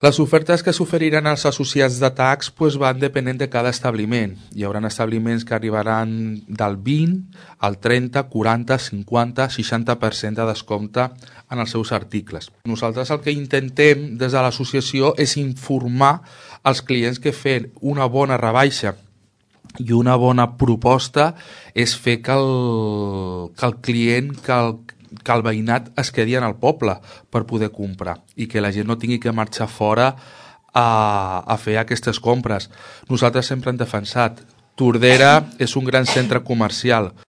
Les ofertes que s'oferiran als associats de tax van depenent de cada establiment. Hi haurà establiments que arribaran del 20 al 30, 40, 50, 60% de descompte en els seus articles. Nosaltres el que intentem des de l'associació és informar als clients que fent una bona rebaixa i una bona proposta és fer que el client, que el veïnat es quedi en el poble per poder comprar i que la gent no tingui que marxar fora a fer aquestes compres. Nosaltres sempre hem defensat Tordera és un gran centre comercial.